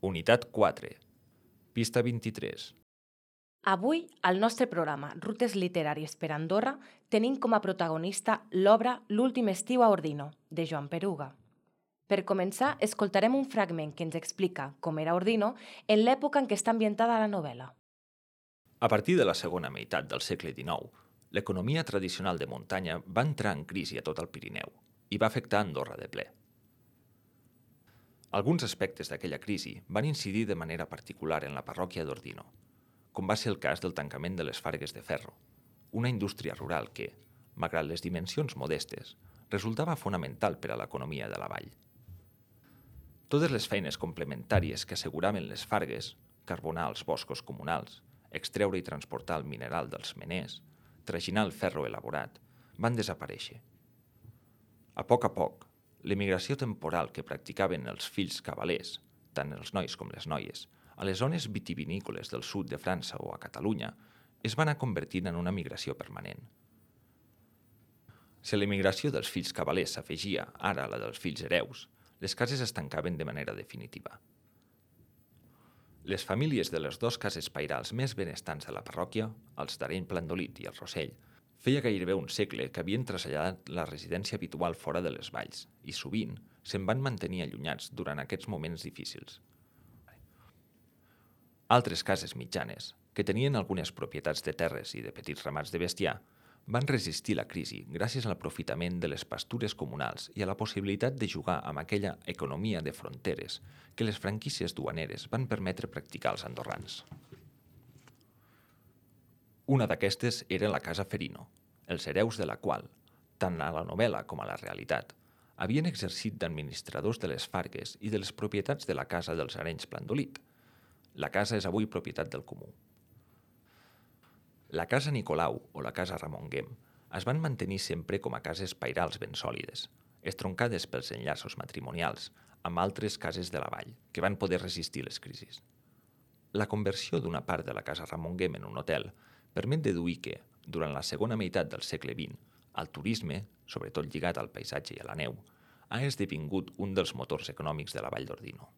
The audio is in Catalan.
Unitat 4, pista 23. Avui, al nostre programa Rutes Literàries per Andorra, tenim com a protagonista l'obra L'últim estiu a Ordino, de Joan Peruga. Per començar, escoltarem un fragment que ens explica com era Ordino en l'època en què està ambientada la novel·la. A partir de la segona meitat del segle XIX, l'economia tradicional de muntanya va entrar en crisi a tot el Pirineu i va afectar Andorra de ple. Alguns aspectes d'aquella crisi van incidir de manera particular en la parròquia d'Ordino, com va ser el cas del tancament de les fargues de ferro, una indústria rural que, malgrat les dimensions modestes, resultava fonamental per a l'economia de la vall. Totes les feines complementàries que asseguraven les fargues, carbonar els boscos comunals, extreure i transportar el mineral dels meners, traginar el ferro elaborat, van desaparèixer. A poc, l'emigració temporal que practicaven els fills cavalers, tant els nois com les noies, a les zones vitivinícoles del sud de França o a Catalunya, es va anar convertint en una migració permanent. Si l'emigració dels fills cavalers s'afegia ara a la dels fills hereus, les cases es tancaven de manera definitiva. Les famílies de les dues cases pairals més benestants de la parròquia, els d'Areny Plandolit i el Rossell, feia gairebé un segle que havien traslladat la residència habitual fora de les valls i sovint se'n van mantenir allunyats durant aquests moments difícils. Altres cases mitjanes, que tenien algunes propietats de terres i de petits ramats de bestiar, van resistir la crisi gràcies a l'aprofitament de les pastures comunals i a la possibilitat de jugar amb aquella economia de fronteres que les franquícies duaneres van permetre practicar als andorrans. Una d'aquestes era la Casa Ferino, els hereus de la qual, tant a la novel·la com a la realitat, havien exercit d'administradors de les fargues i de les propietats de la casa dels Arenys Plandolit. La casa és avui propietat del comú. La casa Nicolau o la casa Ramon Guem es van mantenir sempre com a cases pairals ben sòlides, estroncades pels enllaços matrimonials amb altres cases de la vall, que van poder resistir les crisis. La conversió d'una part de la casa Ramon Guem en un hotel permet deduir que, durant la segona meitat del segle XX, el turisme, sobretot lligat al paisatge i a la neu, ha esdevingut un dels motors econòmics de la vall d'Ordino.